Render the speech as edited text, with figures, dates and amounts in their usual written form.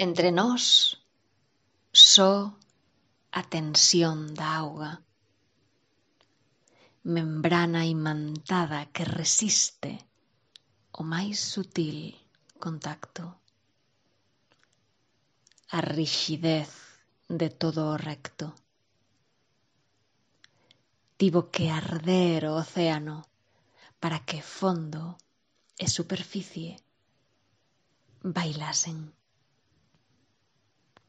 Entre nós, só a tensión da auga, membrana imantada que resiste o máis sutil contacto, a rixidez de todo o recto. Tivo que arder o océano para que fondo e superficie bailasen.